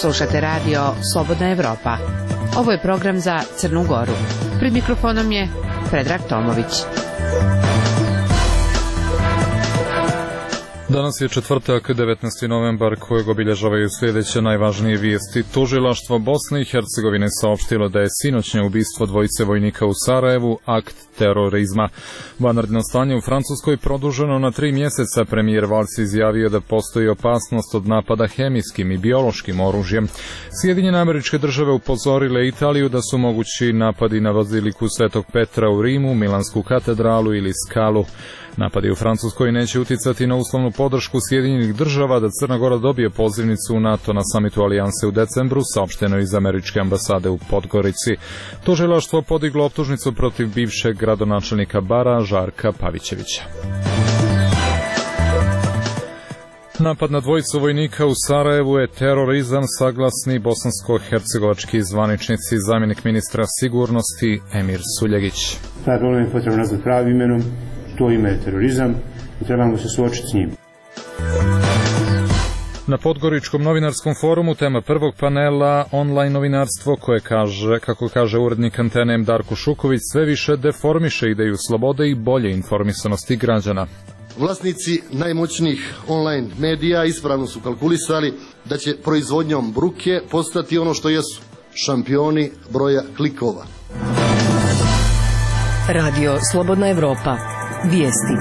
Slušate radio Slobodna Evropa. Ovo je program za Crnu Goru. Pred mikrofonom je Predrag Tomović. Danas je četvrtak, 19. novembar, kojeg obilježavaju sljedeće najvažnije vijesti. Tužilaštvo Bosne i Hercegovine saopštilo da je sinoćnje ubistvo dvojice vojnika u Sarajevu akt terorizma. Vanredno stanje u Francuskoj produženo na 3 mjeseca. Premijer Valls izjavio da postoji opasnost od napada hemijskim i biološkim oružjem. Sjedinjene Američke Države upozorile Italiju da su mogući napadi na baziliku Svetog Petra u Rimu, Milansku katedralu ili Skalu. Napadi u Francuskoj neće uticati na uslovnu podršku Sjedinjenih Država da Crna Gora dobije pozivnicu u NATO na samitu Alijanse u decembru, saopšteno iz Američke ambasade u Podgorici. Tužilaštvo podiglo optužnicu protiv bivšeg gradonačelnika Bara, Žarka Pavićevića. Napad na dvojicu vojnika u Sarajevu je terorizam, saglasni bosansko-hercegovački zvaničnici. Zamjenik ministra sigurnosti Emir Suljegić. Taj problem je potrebno nazvati pravim imenom. To ime je terorizam i trebamo se suočiti s njim. Na Podgoričkom novinarskom forumu tema prvog panela online novinarstvo koje kaže, kako kaže urednik Antene Darko Šuković, sve više deformiše ideju slobode i bolje informisanosti građana. Vlasnici najmoćnijih online medija ispravno su kalkulisali da će proizvodnjom bruke postati ono što jesu, šampioni broja klikova. Radio Slobodna Evropa. Vijesti.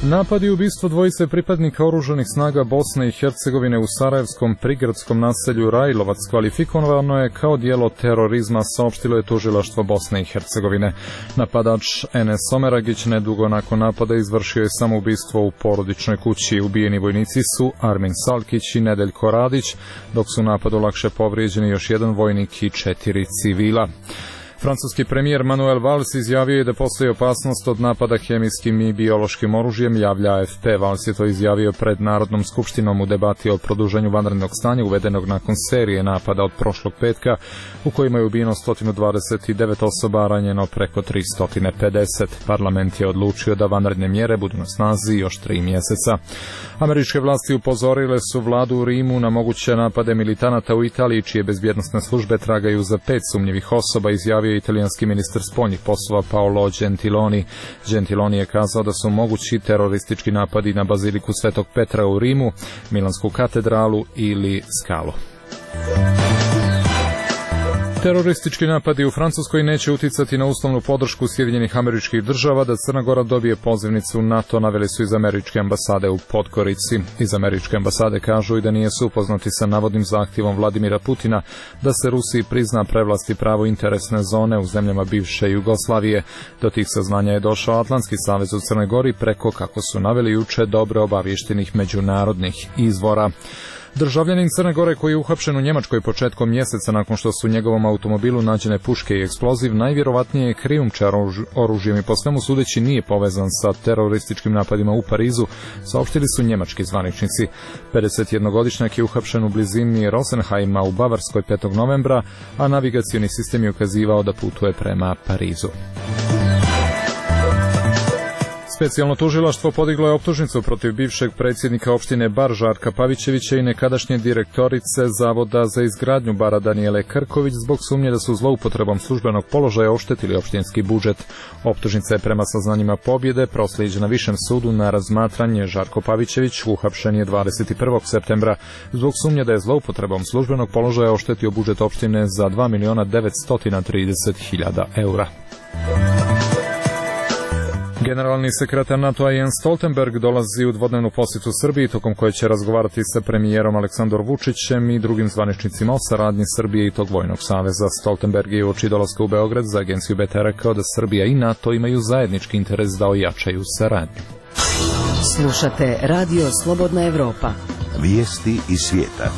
Napad i ubistvo dvojice pripadnika oružanih snaga Bosne i Hercegovine u sarajevskom prigradskom naselju Rajlovac kvalifikovano je kao djelo terorizma, saopštilo je tužilaštvo Bosne i Hercegovine. Napadač Enes Omeragić nedugo nakon napada izvršio je samoubistvo u porodičnoj kući. Ubijeni vojnici su Armin Salkić i Nedeljko Radić, dok su u napadu lakše povrijeđeni još jedan vojnik i 4 civila. Francuski premijer Manuel Valls izjavio je da postoji opasnost od napada hemijskim i biološkim oružjem, javlja AFP. Valls je to izjavio pred Narodnom skupštinom u debati o produženju vanrednog stanja uvedenog nakon serije napada od prošlog petka u kojima je ubijeno 129 osoba, ranjeno preko 350. Parlament je odlučio da vanredne mjere budu na snazi još 3 mjeseca. Američke vlasti upozorile su vladu u Rimu na moguće napade militanata u Italiji, čije bezbjednosne službe tragaju za 5 sumnjivih osoba, izjavio italijanski ministar spoljnih poslova Paolo Gentiloni. Gentiloni je kazao da su mogući teroristički napadi na baziliku Svetog Petra u Rimu, Milansku katedralu ili Skalu. Teroristički napadi u Francuskoj neće uticati na uslovnu podršku Sjedinjenih Američkih Država da Crna Gora dobije pozivnicu u NATO, naveli su iz Američke ambasade u Podgorici. Iz Američke ambasade kažu i da nisu upoznati sa navodnim zahtjevom Vladimira Putina da se Rusiji prizna prevlast i pravo interesne zone u zemljama bivše Jugoslavije. Do tih saznanja je došao Atlantski savez u Crnoj Gori preko, kako su naveli juče, dobro obaviještenih međunarodnih izvora. Državljanin Crne Gore koji je uhapšen u Njemačkoj početkom mjeseca nakon što su u njegovom automobilu nađene puške i eksploziv, najvjerovatnije je krijumčar oružjem i po svemu sudeći nije povezan sa terorističkim napadima u Parizu, saopštili su njemački zvaničnici. 51-godišnjak je uhapšen u blizini Rosenheima u Bavarskoj 5. novembra, a navigacioni sistem je ukazivao da putuje prema Parizu. Specijalno tužilaštvo podiglo je optužnicu protiv bivšeg predsjednika opštine Bar Žarka Pavićevića i nekadašnje direktorice Zavoda za izgradnju Bara Danijele Krković zbog sumnje da su zloupotrebom službenog položaja oštetili opštinski budžet. Optužnica je prema saznanjima Pobjede proslijeđena Višem sudu na razmatranje. Žarko Pavićević uhapšen je 21. septembra zbog sumnje da je zloupotrebom službenog položaja oštetio budžet opštine za 2.930.000 eura. Generalni sekretar NATO-a Jens Stoltenberg dolazi u dvodnevnu posjetu Srbiji, tokom koje će razgovarati sa premijerom Aleksandrom Vučićem i drugim zvaničnicima o saradnji Srbije i tog vojnog saveza. Stoltenberg je uoči dolaska u Beograd za agenciju BT rekao da Srbija i NATO imaju zajednički interes da ojačaju saradnju. Slušate Radio Slobodna Evropa. Vijesti iz svijeta.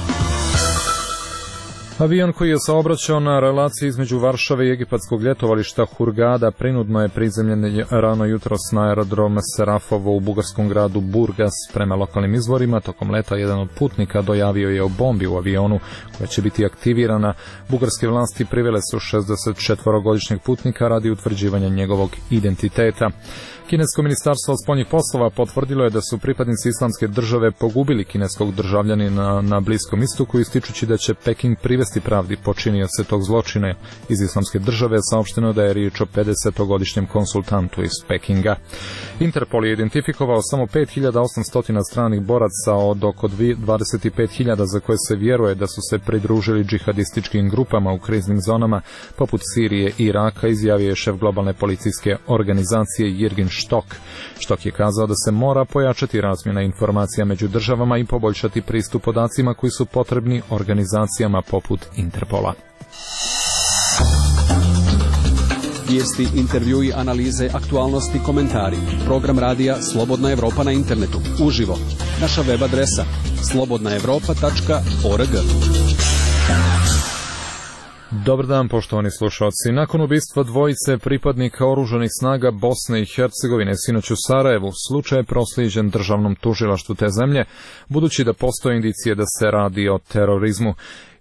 Avion koji je saobraćao na relaciji između Varšave i egipatskog ljetovališta Hurgada prinudno je prizemljen rano jutros na aerodrom Serafovo u bugarskom gradu Burgas. Prema lokalnim izvorima, tokom leta jedan od putnika dojavio je o bombi u avionu koja će biti aktivirana. Bugarske vlasti privele su 64-godišnjeg putnika radi utvrđivanja njegovog identiteta. Kinesko ministarstvo spoljnih poslova potvrdilo je da su pripadnici Islamske države pogubili kineskog državljanina na Bliskom istoku, ističući da će Peking privesti pravdi počinioce tog zločina. Iz Islamske države saopšteno da je riječ o 50-godišnjem konsultantu iz Pekinga. Interpol je identifikovao samo 5800 stranih boraca od oko 25.000 za koje se vjeruje da su se pridružili džihadističkim grupama u kriznim zonama poput Sirije i Iraka, izjavio je šef globalne policijske organizacije Jirgin Štok. Štok je kazao da se mora pojačati razmjena informacija među državama i poboljšati pristup podacima koji su potrebni organizacijama poput Interpola. Vijesti, intervjui, analize, aktualnosti, komentari. Program radija Slobodna Evropa na internetu. Uživo. Naša web adresa slobodnaevropa.org. Dobar dan, poštovani slušalci. Nakon ubistva dvojice pripadnika oružanih snaga Bosne i Hercegovine sinoć u Sarajevu, slučaj je proslijeđen državnom tužilaštvu te zemlje, budući da postoje indicije da se radi o terorizmu.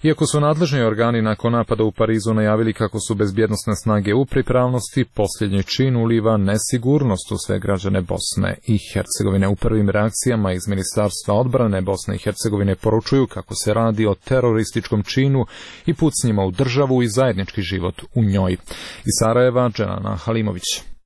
Iako su nadležni organi nakon napada u Parizu najavili kako su bezbjednosne snage u pripravnosti, posljednji čin uliva nesigurnost u sve građane Bosne i Hercegovine. U prvim reakcijama iz Ministarstva odbrane Bosne i Hercegovine poručuju kako se radi o terorističkom činu i pucnjima u državu i zajednički život u njoj. Iz Sarajeva, Dženana Halimović.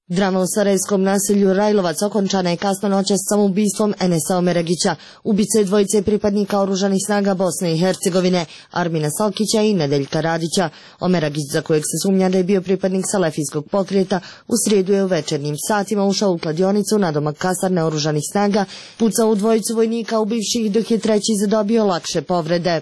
Drama u sarajevskom naselju Rajlovac okončana je kasno noćas samoubistvom Enesa Omeragića, ubice dvojice pripadnika oružanih snaga Bosne i Hercegovine, Armina Salkića i Nedeljka Radića. Omeragić, za kojeg se sumnja da je bio pripadnik salafijskog pokreta, u srijedu je u večernjim satima ušao u kladionicu nadomak kasarne oružanih snaga, pucao u dvojicu vojnika ubivših, dok je treći zadobio lakše povrede.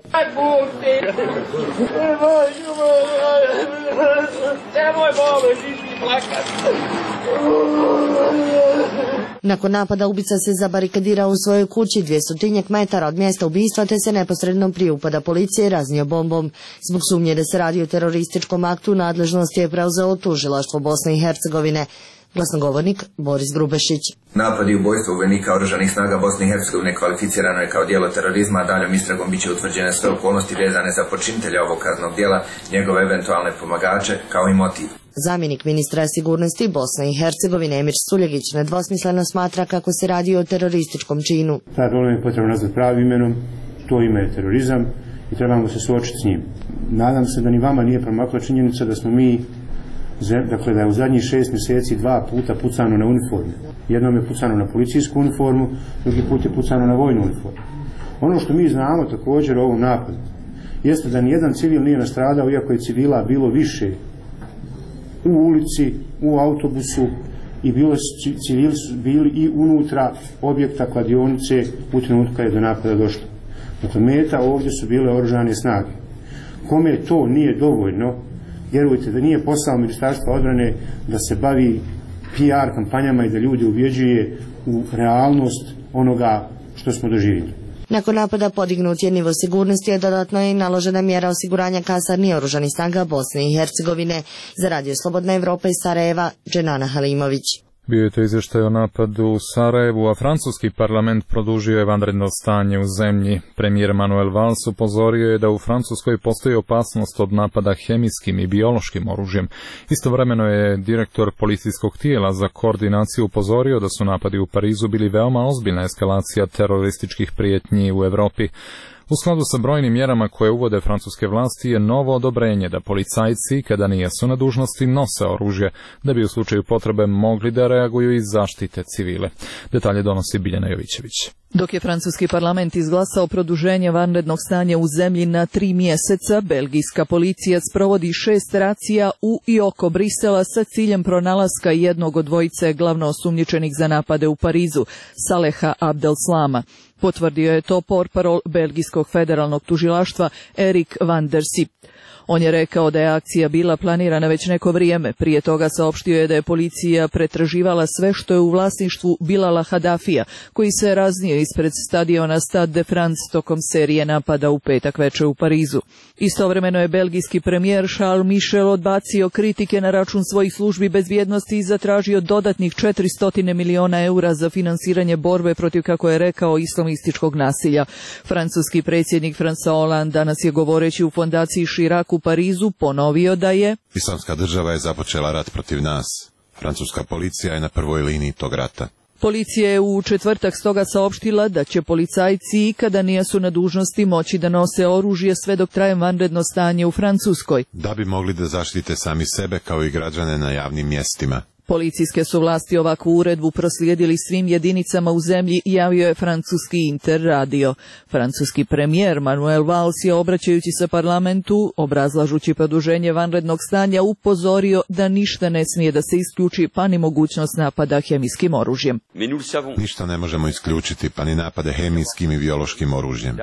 Nakon napada ubica se zabarikadirao u svojoj kući 200 metara od mjesta ubistva, te se neposredno prije upada policije raznio bombom. Zbog sumnje da se radi o terorističkom aktu, nadležnost je preuzelo tužilaštvo Bosne i Hercegovine. Glasnogovornik Boris Grubešić. Napad i ubojstvo vojnika oružanih snaga Bosne i Hercegovine kvalificirano je kao djelo terorizma, a daljom istragom biće utvrđene sve okolnosti vezane za počinitelja ovog kaznenog djela, njegove eventualne pomagače, kao i motiv. Zamjenik ministra sigurnosti Bosne i Hercegovine Emir Suljegić nedvosmisleno smatra kako se radi o terorističkom činu. Taj problem je potrebno nazvati pravim imenom, to ime je terorizam i trebamo se suočiti s njim. Nadam se da ni vama nije promakla činjenica da smo mi, dakle da je u zadnjih 6 mjeseci 2 puta pucano na uniformu. Jednom je pucano na policijsku uniformu, drugi put je pucano na vojnu uniformu. Ono što mi znamo također o ovom napadu jeste da nijedan civil nije nastradao, iako je civila bilo više u ulici, u autobusu, i civili su bili i unutra objekta kladionice u trenutku kad je do napada došlo. Dakle, meta ovdje su bile oružane snage. Kome to nije dovoljno, vjerujte da nije posao Ministarstva odbrane da se bavi PR kampanjama i da ljudi ubjeđuje u realnost onoga što smo doživjeli. Nakon napada podignut je nivo sigurnosti, a dodatno je naložena mjera osiguranja kasarni oružanih snaga Bosne i Hercegovine. Za Radio Slobodna Evropa iz Sarajeva, Dženana Halimović. Bio je to izvještaj o napadu u Sarajevu, a francuski parlament produžio je vanredno stanje u zemlji. Premijer Manuel Valls upozorio je da u Francuskoj postoji opasnost od napada hemijskim i biološkim oružjem. Istovremeno je direktor policijskog tijela za koordinaciju upozorio da su napadi u Parizu bili veoma ozbiljna eskalacija terorističkih prijetnji u Europi. U skladu sa brojnim mjerama koje uvode francuske vlasti je novo odobrenje da policajci, kada nijesu na dužnosti, nose oružje, da bi u slučaju potrebe mogli da reaguju i zaštite civile. Detalje donosi Biljana Jovićević. Dok je francuski parlament izglasao produženje vanrednog stanja u zemlji na 3 mjeseca, belgijska policija sprovodi 6 racija u i oko Brisela sa ciljem pronalaska jednog od dvojice glavno osumnjičenih za napade u Parizu, Saleha Abdelslama. Potvrdio je to portparol belgijskog federalnog tužilaštva Erik van der Sip. On je rekao da je akcija bila planirana već neko vrijeme. Prije toga saopštio je da je policija pretraživala sve što je u vlasništvu Bilala Hadafija, koji se raznio ispred stadiona Stade de France tokom serije napada u petak večer u Parizu. Istovremeno je belgijski premijer Charles Michel odbacio kritike na račun svojih službi bezbjednosti i zatražio dodatnih 400 miliona eura za finansiranje borbe protiv, kako je rekao, islamističkog nasilja. Francuski predsjednik François Hollande danas je, govoreći u fondaciji Chirac u Parizu, ponovio da je Islamska država je započela rat protiv nas. Francuska policija je na prvoj liniji tog rata. Policija je u četvrtak stoga saopštila da će policajci, kada nisu na dužnosti, moći da nose oružje sve dok traje vanredno stanje u Francuskoj, da bi mogli da zaštite sami sebe kao i građane na javnim mjestima. Policijske su vlasti ovakvu uredbu proslijedili svim jedinicama u zemlji, javio je francuski Interradio. Francuski premijer Manuel Valls je, obraćajući se parlamentu, obrazlažući produženje vanrednog stanja, upozorio da ništa ne smije da se isključi, pa ni mogućnost napada hemijskim oružjem. Ništa ne možemo isključiti, pa ni napade hemijskim i biološkim oružjem.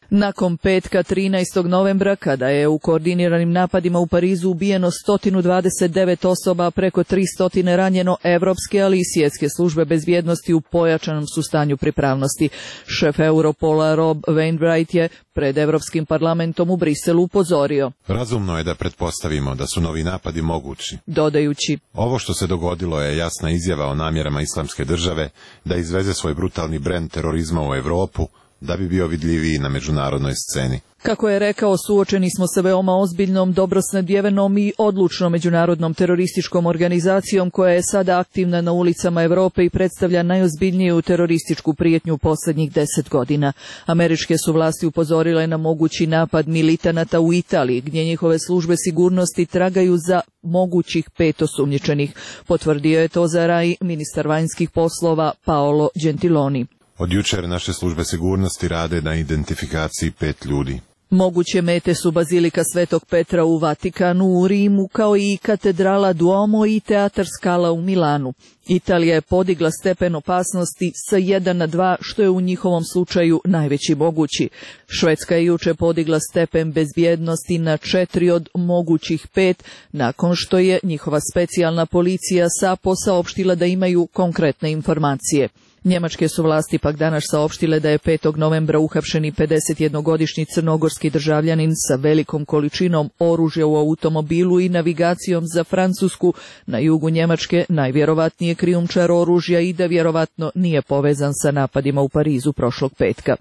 Nakon petka 13. novembra, kada je u koordiniranim napadima u Parizu ubijeno 129 osoba, preko 300 ranjeno, evropske, ali i svjetske službe bezbjednosti u pojačanom su stanju pripravnosti. Šef Europola Rob Wainwright je pred Evropskim parlamentom u Briselu upozorio: razumno je da pretpostavimo da su novi napadi mogući, dodajući: ovo što se dogodilo je jasna izjava o namjerama Islamske države da izveze svoj brutalni brend terorizma u Europu, da bi bio vidljiviji na međunarodnoj sceni. Kako je rekao, suočeni smo sa veoma ozbiljnom, dobro snadbijevenom i odlučnom međunarodnom terorističkom organizacijom koja je sada aktivna na ulicama Europe i predstavlja najozbiljniju terorističku prijetnju posljednjih 10 godina. Američke su vlasti upozorile na mogući napad militanata u Italiji, gdje njihove službe sigurnosti tragaju za mogućih 5 osumnjičenih. Potvrdio je to za RAI ministar vanjskih poslova Paolo Gentiloni. Od jučer naše službe sigurnosti rade na identifikaciji 5 ljudi. Moguće mete su Bazilika Svetog Petra u Vatikanu, u Rimu, kao i katedrala Duomo i teatar Scala u Milanu. Italija je podigla stepen opasnosti sa 1 na 2, što je u njihovom slučaju najveći mogući. Švedska je juče podigla stepen bezbjednosti na 4 od mogućih 5, nakon što je njihova specijalna policija SAPO saopštila da imaju konkretne informacije. Njemačke su vlasti pak danas saopštile da je 5. novembra uhapšeni 51-godišnji crnogorski državljanin sa velikom količinom oružja u automobilu i navigacijom za Francusku na jugu Njemačke, najvjerovatnije krijumčar oružja i da vjerovatno nije povezan sa napadima u Parizu prošlog petka.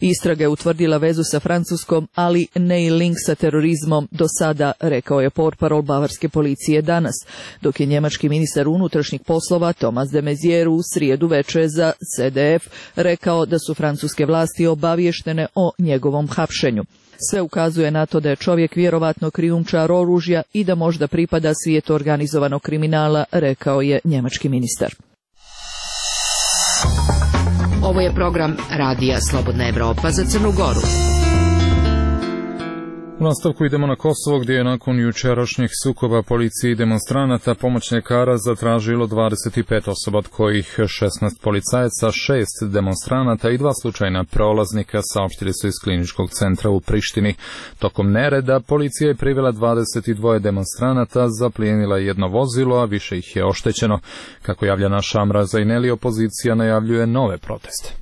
Istraga je utvrdila vezu sa Francuskom, ali ne i link sa terorizmom do sada, rekao je portparol bavarske policije danas, dok je njemački ministar unutrašnjih poslova Thomas de Maizière u srijedu večer za CDF rekao da su francuske vlasti obavještene o njegovom hapšenju. Sve ukazuje na to da je čovjek vjerovatno krijumčar oružja i da možda pripada svijetu organizovanog kriminala, rekao je njemački ministar. Ovo je program Radija Slobodna Evropa za Crnu Goru. U nastavku idemo na Kosovo, gdje je nakon jučerašnjih sukoba policije i demonstranata pomoć ljekara zatražilo 25 osoba, od kojih 16 policajaca, 6 demonstranata i 2 slučajna prolaznika, saopštili su iz kliničkog centra u Prištini. Tokom nereda policija je privela 22 demonstranata, zaplijenila jedno vozilo, a više ih je oštećeno. Kako javlja naša Amra Zaineli, opozicija najavljuje nove proteste.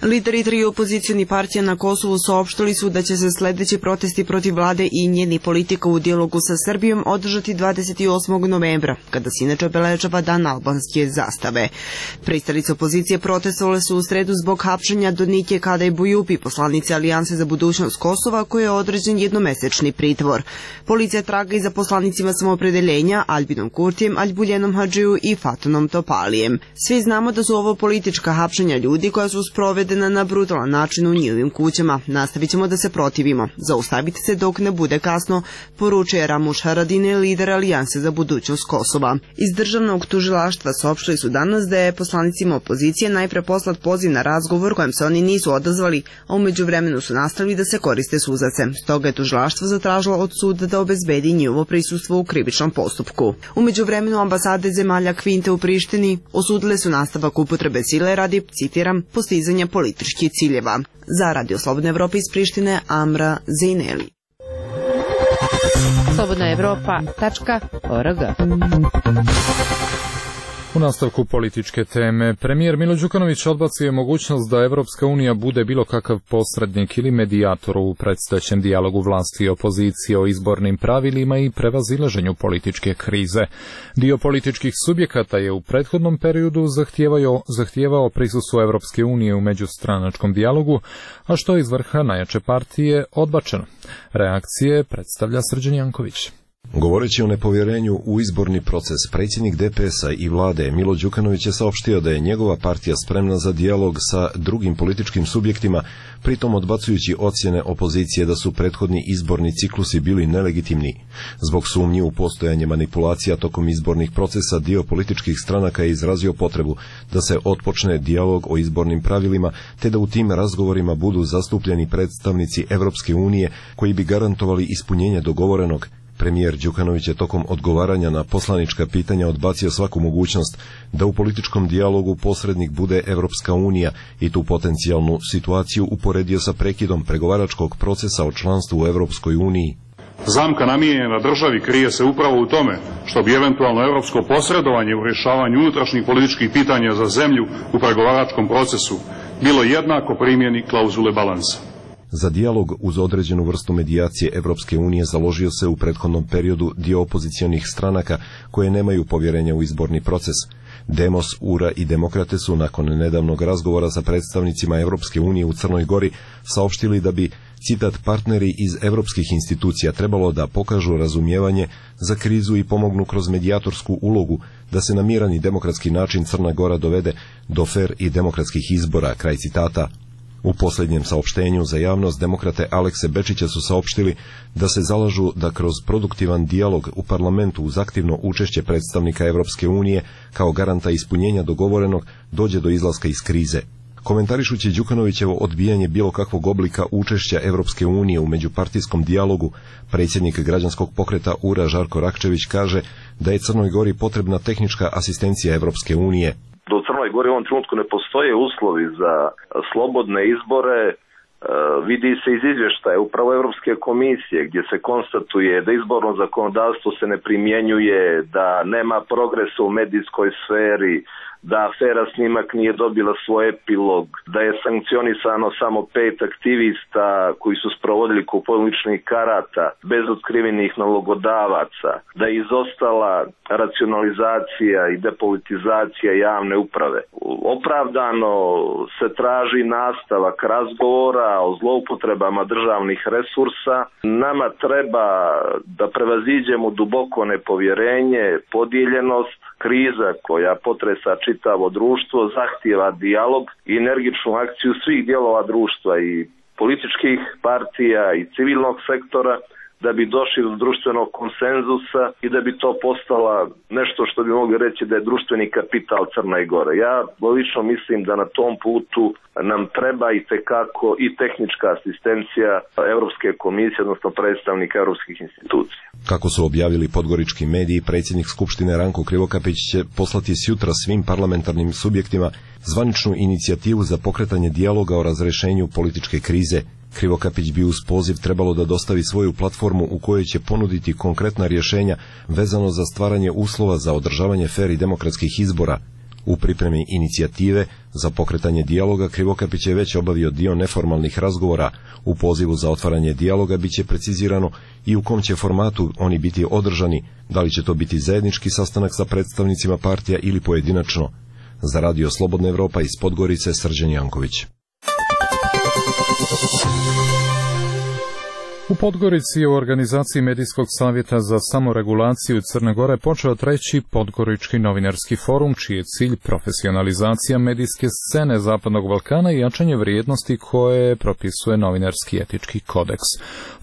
Lideri 3 opozicijni partija na Kosovu saopštili su da će se sljedeći protesti protiv vlade i njeni politika u dijalogu sa Srbijom održati 28. novembra, kada se inače obeležava dan albanske zastave. Pristalice opozicije protestovale su u sredu zbog hapšenja Donike Kadaj Bujupi, poslanice Alijanse za budućnost Kosova, koje je određen jednomesečni pritvor. Policija traga i za poslanicima samoopredeljenja Albinom Kurtijem, Aljbuljenom Hadžiju i Fatonom Topalijem. Svi znamo da su ovo politička hapšenja ljudi koja su sprovedena na brutalan način u njihovim kućama. Nastavit ćemo da se protivimo. Zaustavite se dok ne bude kasno, poručuje Ramuš Haradine, lider Alijanse za budućnost Kosova. Iz državnog tužilaštva saopštili su danas da je poslanicima opozicije najpre poslat poziv na razgovor kojem se oni nisu odazvali, a u međuvremenu su nastavili da se koriste suzavcem. Stoga je tužilaštvo zatražilo od suda da obezbedi njihovo prisustvo u krivičnom postupku. U međuvremenu ambasade zemalja Kvinte u Prištini osudile su nastavak upotrebe sile radi, citiram, postizanja političkih ciljeva. Za Radio Slobodna Evropa iz Prištine, Amra Zejneli. slobodnaevropa.org. U nastavku političke teme, premijer Milo Đukanović odbacio je mogućnost da Evropska unija bude bilo kakav posrednik ili medijator u predstojećem dijalogu vlasti i opozicije o izbornim pravilima i prevazilaženju političke krize. Dio političkih subjekata je u prethodnom periodu zahtijevao prisustvo Evropske unije u međustranačkom dijalogu, a što je iz vrha najjače partije odbačeno. Reakcije predstavlja Srđan Janković. Govoreći o nepovjerenju u izborni proces, predsjednik DPS-a i vlade Milo Đukanović je saopštio da je njegova partija spremna za dijalog sa drugim političkim subjektima, pritom odbacujući ocjene opozicije da su prethodni izborni ciklusi bili nelegitimni. Zbog sumnji u postojanje manipulacija tokom izbornih procesa, dio političkih stranaka je izrazio potrebu da se otpočne dijalog o izbornim pravilima, te da u tim razgovorima budu zastupljeni predstavnici Evropske unije koji bi garantovali ispunjenje dogovorenog. Premijer Đukanović je tokom odgovaranja na poslanička pitanja odbacio svaku mogućnost da u političkom dijalogu posrednik bude Evropska unija i tu potencijalnu situaciju uporedio sa prekidom pregovaračkog procesa o članstvu u Evropskoj uniji. Zamka namijenjena državi krije se upravo u tome što bi eventualno evropsko posredovanje u rješavanju unutrašnjih političkih pitanja za zemlju u pregovaračkom procesu bilo jednako primjeni klauzule balansa. Za dijalog uz određenu vrstu medijacije Evropske unije založio se u prethodnom periodu dio opozicionih stranaka koje nemaju povjerenja u izborni proces. Demos, URA i Demokrate su nakon nedavnog razgovora sa predstavnicima Evropske unije u Crnoj Gori saopštili da bi, citat, partneri iz evropskih institucija trebalo da pokažu razumijevanje za krizu i pomognu kroz medijatorsku ulogu da se na miran i demokratski način Crna Gora dovede do fer i demokratskih izbora, kraj citata. U posljednjem saopštenju za javnost demokrate Alekse Bečića su saopštili da se zalažu da kroz produktivan dijalog u parlamentu uz aktivno učešće predstavnika Evropske unije kao garanta ispunjenja dogovorenog dođe do izlaska iz krize. Komentarišući Đukanovićevo odbijanje bilo kakvog oblika učešća Evropske unije u međupartijskom dijalogu, predsjednik građanskog pokreta URA Žarko Rakčević kaže da je Crnoj Gori potrebna tehnička asistencija Evropske unije. Da u Crnoj Gori u ovom trenutku ne postoje uslovi za slobodne izbore, vidi se iz izvještaja upravo Europske komisije gdje se konstatuje da izborno zakonodavstvo se ne primjenjuje, da nema progresa u medijskoj sferi, da afera Snimak nije dobila svoj epilog, da je sankcionisano samo 5 aktivista koji su sprovodili kupovinu ličnih karata bez otkrivenih nalogodavaca, da je izostala racionalizacija i depolitizacija javne uprave. Opravdano se traži nastavak razgovora o zloupotrebama državnih resursa. Nama treba da prevaziđemo duboko nepovjerenje, podijeljenost, kriza koja potresa čitavo društvo zahtijeva dijalog i energičnu akciju svih dijelova društva i političkih partija i civilnog sektora da bi došli do društvenog konsenzusa i da bi to postala nešto što bi mogli reći da je društveni kapital Crne Gore. Ja lično mislim da na tom putu nam treba i tekako i tehnička asistencija Europske komisije, odnosno predstavnika europskih institucija. Kako su objavili podgorički mediji, predsjednik Skupštine Ranko Krivokapić će poslati sjutra svim parlamentarnim subjektima zvaničnu inicijativu za pokretanje dijaloga o razrješenju političke krize. Krivokapić bi uz poziv trebalo da dostavi svoju platformu u kojoj će ponuditi konkretna rješenja vezano za stvaranje uslova za održavanje fer i demokratskih izbora. U pripremi inicijative za pokretanje dijaloga Krivokapić je već obavio dio neformalnih razgovora. U pozivu za otvaranje dijaloga bit će precizirano i u kom će formatu oni biti održani, da li će to biti zajednički sastanak sa predstavnicima partija ili pojedinačno. Za Radio Slobodna Evropa iz Podgorice, Srđan Janković. U Podgorici je u organizaciji Medijskog savjeta za samoregulaciju Crne Gore počeo 3. Podgorički novinarski forum, čiji je cilj profesionalizacija medijske scene Zapadnog Balkana i jačanje vrijednosti koje propisuje novinarski etički kodeks.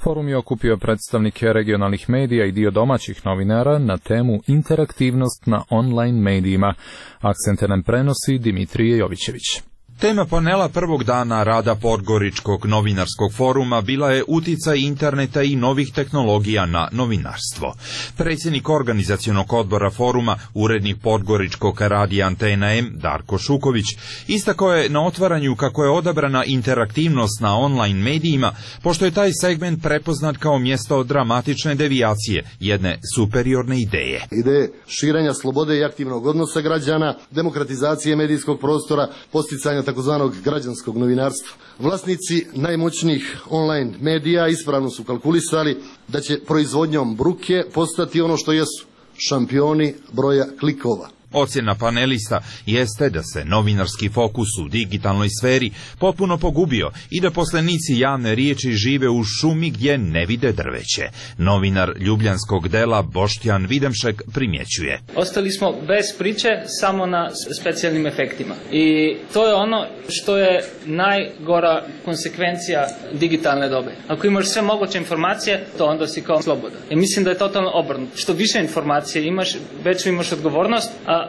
Forum je okupio predstavnike regionalnih medija i dio domaćih novinara na temu interaktivnost na online medijima. Akcente nam prenosi Dimitrije Jovićević. Tema panela prvog dana rada Podgoričkog novinarskog foruma bila je uticaj interneta i novih tehnologija na novinarstvo. Predsjednik organizacionog odbora foruma, urednik Podgoričkog radija Antena M, Darko Šuković, istakao je na otvaranju kako je odabrana interaktivnost na online medijima, pošto je taj segment prepoznat kao mjesto dramatične devijacije, jedne superiorne ideje. Ideje širenja slobode i aktivnog odnosa građana, demokratizacije medijskog prostora, posticanja takozvanog građanskog novinarstva. Vlasnici najmoćnijih online medija ispravno su kalkulisali da će proizvodnjom bruke postati ono što jesu, šampioni broja klikova. Ocjena panelista jeste da se novinarski fokus u digitalnoj sferi potpuno pogubio i da poslanici javne riječi žive u šumi gdje ne vide drveće. Novinar ljubljanskog dela Boštjan Videmšek primjećuje. Ostali smo bez priče samo na specijalnim efektima. I to je ono što je najgora konsekvencija digitalne dobe. Ako imaš sve moguće informacije, to onda si kao slobodan. I mislim da je totalno obrnuto. Što više informacije imaš, veću imaš odgovornost, a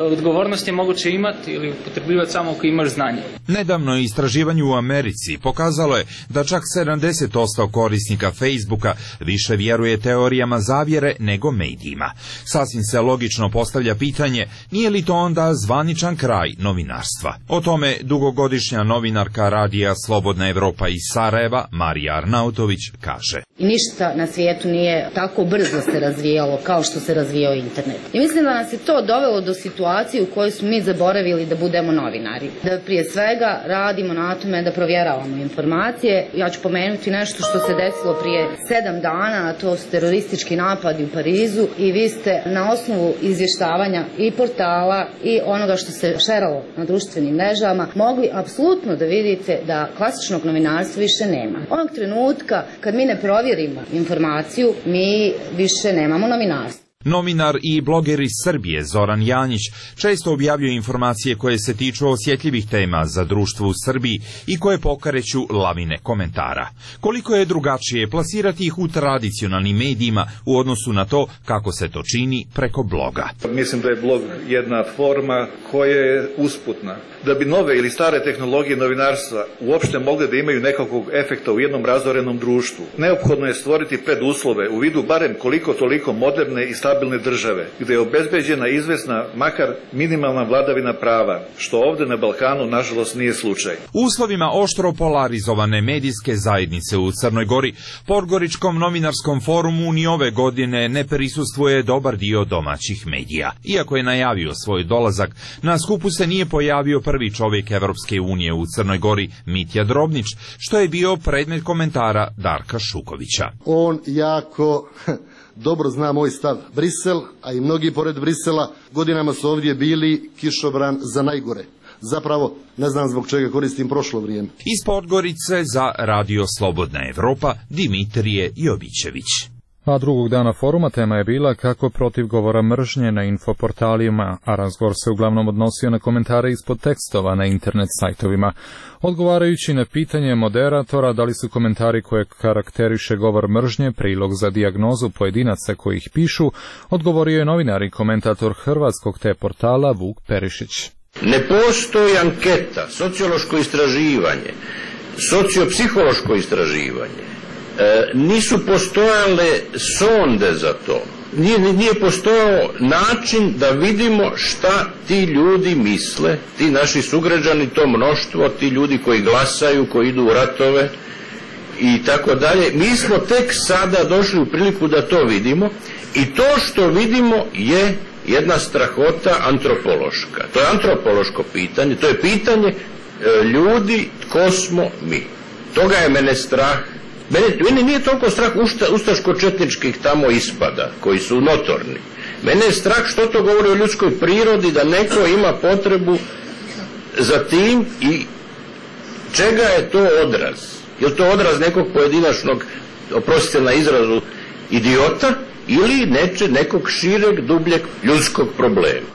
odgovornost je moguće imati ili upotrebljivati samo ako imaš znanje. Nedavno istraživanje u Americi pokazalo je da čak 70% korisnika Facebooka više vjeruje teorijama zavjere nego medijima. Sasvim se logično postavlja pitanje, nije li to onda zvaničan kraj novinarstva? O tome dugogodišnja novinarka radija Slobodna Evropa iz Sarajeva, Marija Arnautović, kaže. I ništa na svijetu nije tako brzo se razvijalo kao što se razvijao internet. I mislim da nas je to dovelo do situacije u kojoj smo mi zaboravili da budemo novinari. Da prije svega radimo na tome da provjeravamo informacije. Ja ću pomenuti nešto što se desilo prije 7 dana, a to su teroristički napadi u Parizu i vi ste na osnovu izvještavanja i portala i onoga što se šeralo na društvenim mrežama mogli apsolutno da vidite da klasičnog novinarstva više nema. Onog trenutka kad mi ne provjerimo informaciju, mi više nemamo novinarstvo. Novinar i bloger iz Srbije Zoran Janjić često objavljuje informacije koje se tiču osjetljivih tema za društvo u Srbiji i koje pokreću lavine komentara. Koliko je drugačije plasirati ih u tradicionalnim medijima u odnosu na to kako se to čini preko bloga. Mislim da je blog jedna forma koja je usputna. Da bi nove ili stare tehnologije novinarstva uopšte mogle da imaju nekakvog efekta u jednom razorenom društvu, neophodno je stvoriti preduslove u vidu barem koliko toliko moderne i stabilne države, gdje je obezbeđena izvesna, makar minimalna vladavina prava, što ovdje na Balkanu nažalost nije slučaj. U uslovima oštro polarizovane medijske zajednice u Crnoj Gori, Podgoričkom novinarskom forumu ni ove godine ne prisustvuje dobar dio domaćih medija. Iako je najavio svoj dolazak, na skupu se nije pojavio prvi čovjek Evropske unije u Crnoj Gori, Mitja Drobnić, što je bio predmet komentara Darka Šukovića. On jako dobro zna moj stav. Brisel, a i mnogi pored Brisela, godinama su ovdje bili kišobran za najgore. Zapravo, ne znam zbog čega koristim prošlo vrijeme. Iz Podgorice za Radio Slobodna Evropa, Dimitrije Jovićević. A drugog dana foruma tema je bila kako protiv govora mržnje na infoportalima, a razgovor se uglavnom odnosio na komentare ispod tekstova na internet sajtovima. Odgovarajući na pitanje moderatora da li su komentari koje karakteriše govor mržnje prilog za dijagnozu pojedinaca koji ih pišu, odgovorio je novinar i komentator hrvatskog te portala Vuk Perišić. Ne postoji anketa, sociološko istraživanje, sociopsihološko istraživanje. Nisu postojale sonde za to. Nije postojao način da vidimo šta ti ljudi misle, ti naši sugrađani, to mnoštvo, ti ljudi koji glasaju, koji idu u ratove i tako dalje. Mi smo tek sada došli u priliku da to vidimo i to što vidimo je jedna strahota antropološka. To je antropološko pitanje, to je pitanje ljudi, tko smo mi. Toga je mene strah. Mene nije toliko strah ustaško-četničkih tamo ispada, koji su notorni. Mene je strah što to govori o ljudskoj prirodi, da neko ima potrebu za tim i čega je to odraz? Je li to odraz nekog pojedinačnog, oprostite na izrazu, idiota ili nekog šireg, dubljeg ljudskog problema?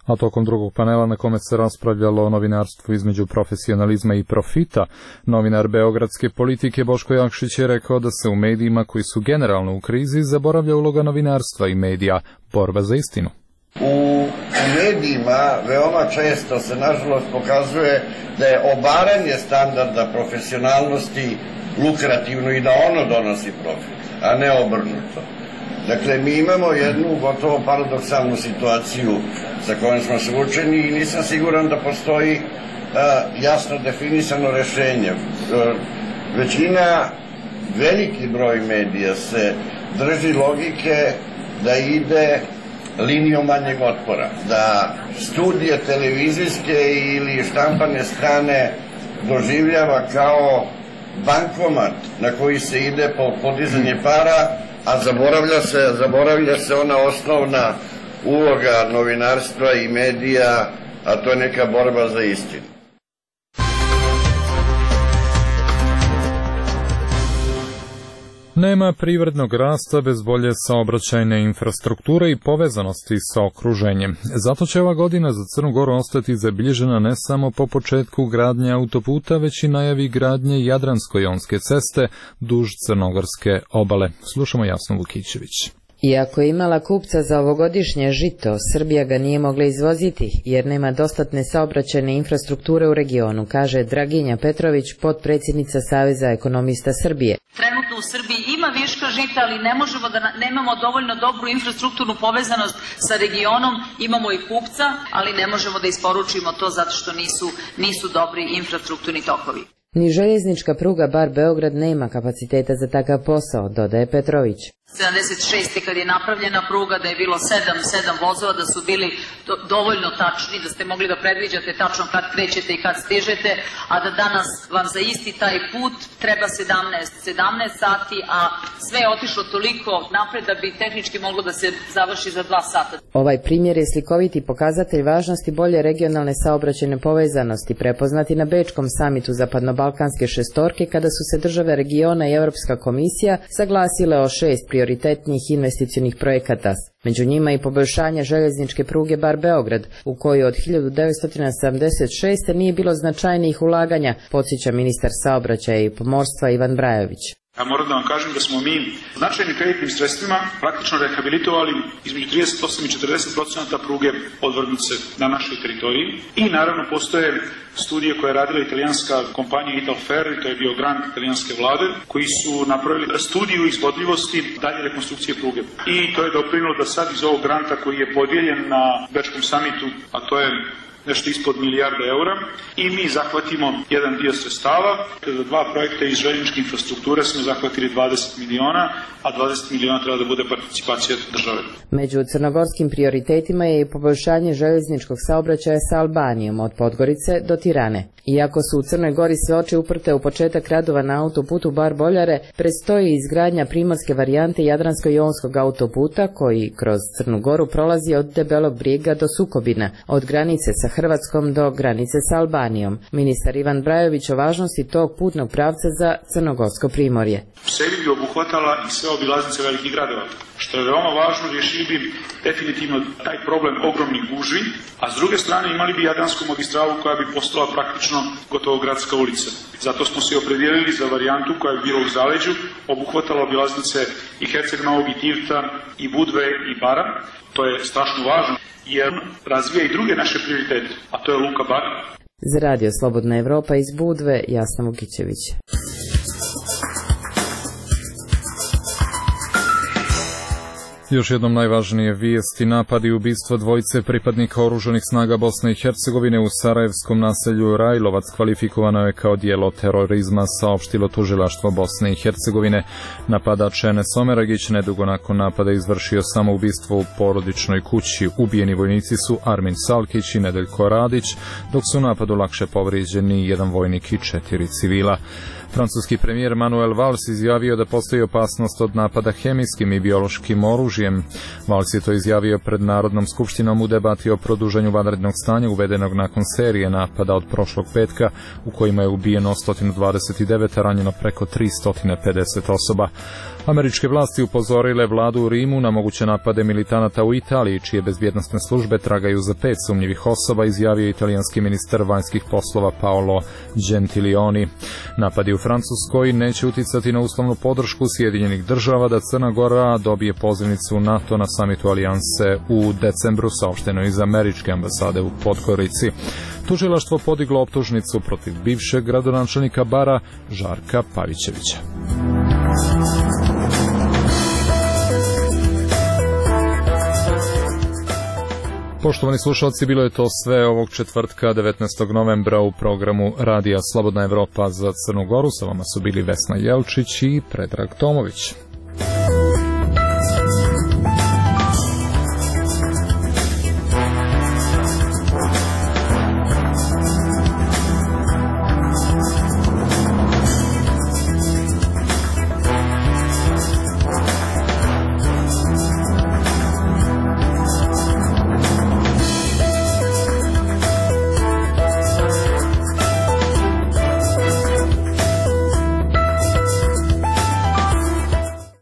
A tokom drugog panela na kome se raspravljalo o novinarstvu između profesionalizma i profita, novinar beogradske politike Boško Jakšić je rekao da se u medijima koji su generalno u krizi zaboravlja uloga novinarstva i medija, borba za istinu. U u medijima veoma često se nažalost pokazuje da je obaranje standarda profesionalnosti lukrativno i da ono donosi profit, a ne obrnuto. Dakle, mi imamo jednu gotovo paradoksalnu situaciju sa kojom smo suočeni i nisam siguran da postoji jasno definisano rešenje. Većina, veliki broj medija se drži logike da ide linijom manjeg otpora, da studije televizijske ili štampane strane doživljava kao bankomat na koji se ide po podizanje para, a zaboravlja se ona osnovna uloga novinarstva i medija, a to je neka borba za istinu. Nema privrednog rasta bez bolje saobraćajne infrastrukture i povezanosti sa okruženjem. Zato će ova godina za Crnu Goru ostati zabilježena ne samo po početku gradnje autoputa, već i najavi gradnje Jadransko-jonske ceste duž crnogorske obale. Slušamo Jasnu Vukićević. Iako je imala kupca za ovogodišnje žito, Srbija ga nije mogla izvoziti jer nema dostatne saobraćajne infrastrukture u regionu, kaže Draginja Petrović, potpredsjednica Saveza ekonomista Srbije. Trenutno u Srbiji ima viška žita, ali ne možemo da nemamo dovoljno dobru infrastrukturnu povezanost sa regionom, imamo i kupca, ali ne možemo da isporučimo to zato što nisu dobri infrastrukturni tokovi. Ni željeznička pruga Bar Beograd nema kapaciteta za takav posao, dodaje Petrović. 76. kad je napravljena pruga, da je bilo 7 vozova, da su bili dovoljno tačni, da ste mogli da predviđate tačno kad krećete i kad stižete, a da danas vam za isti taj put treba 17 sati, a sve je otišlo toliko napred da bi tehnički moglo da se završi za 2 sata. Ovaj primjer je slikoviti pokazatelj važnosti bolje regionalne saobraćajne povezanosti, prepoznati na Bečkom samitu Zapadnobalkanske šestorke, kada su se države regiona i Europska komisija saglasile o 6 prioritetnih investicionih projekata. Među njima i poboljšanje željezničke pruge Bar Beograd, u kojoj od 1976. nije bilo značajnijih ulaganja, podsjeća ministar saobraćaja i pomorstva Ivan Brajović. Ja moram da vam kažem da smo mi značajnim kreditnim sredstvima praktično rehabilitovali između 38 i 40% pruge odvrgnuce na našoj teritoriji. I naravno postoje studije koje je radila italijanska kompanija Italfer, to je bio grant italijanske vlade, koji su napravili studiju izvodljivosti dalje rekonstrukcije pruge. I to je doprinilo da sad iz ovog granta koji je podijeljen na Bečkom samitu, a to je nešto ispod milijarda eura, i mi zahvatimo jedan dio sredstava. Za 2 projekta iz željezničke infrastrukture smo zahvatili 20 miliona, a 20 miliona treba da bude participacija države. Među crnogorskim prioritetima je i poboljšanje željezničkog saobraćaja sa Albanijom od Podgorice do Tirane. Iako su u Crnoj Gori sve oči uprte u početak radova na autoputu Bar Boljare, predstoji izgradnja primorske varijante Jadransko-jonskog autoputa koji kroz Crnu Goru prolazi od Debelog Brijega do Sukobina, od granice sa Hrvatskom do granice sa Albanijom. Ministar Ivan Brajović o važnosti tog putnog pravca za crnogorsko primorje. U sebi bi obuhvatala i sve obilaznice velikih gradova. Što je veoma važno, riješili bi definitivno taj problem ogromnih gužvi, a s druge strane imali bi Jadransku magistralu koja bi postala praktično gotovo gradska ulica. Zato smo se opredijelili za varijantu koja bi bila u zaleđu, obuhvatala obilaznice i Herceg Novog i Tivta i Budve i Bara. To je strašno važno jer razvija i druge naše prioritete, a to je Luka Bar. Za Radio Slobodna Evropa iz Budve, Jasna Vukićević. Još jednom najvažnije vijesti: napad i ubistvo dvojice pripadnika oružanih snaga Bosne i Hercegovine u sarajevskom naselju Rajlovac kvalifikovano je kao djelo terorizma, saopštilo tužilaštvo Bosne i Hercegovine. Napadač Enes Omeragić nedugo nakon napada izvršio samoubistvo u porodičnoj kući. Ubijeni vojnici su Armin Salkić i Nedeljko Radić, dok su u napadu lakše povrijeđeni jedan vojnik i 4 civila. Francuski premijer Manuel Valls izjavio da postoji opasnost od napada hemijskim i biološkim oružjem. Valls je to izjavio pred Narodnom skupštinom u debati o produženju vanrednog stanja uvedenog nakon serije napada od prošlog petka, u kojima je ubijeno 129, a ranjeno preko 350 osoba. Američke vlasti upozorile vladu u Rimu na moguće napade militanata u Italiji, čije bezbjednosne službe tragaju za 5 sumnjivih osoba, izjavio italijanski ministar vanjskih poslova Paolo Gentiloni. Napadi u Francuskoj neće uticati na uslovnu podršku Sjedinjenih država da Crna Gora dobije pozivnicu NATO na samitu alijanse u decembru, saopšteno iz američke ambasade u Podgorici. Tužilaštvo podiglo optužnicu protiv bivšeg gradonačelnika Bara Žarka Pavićevića. Poštovani slušalci, bilo je to sve ovog četvrtka 19. novembra u programu Radija Slobodna Evropa za Crnu Goru. Sa vama su bili Vesna Jelčić i Predrag Tomović.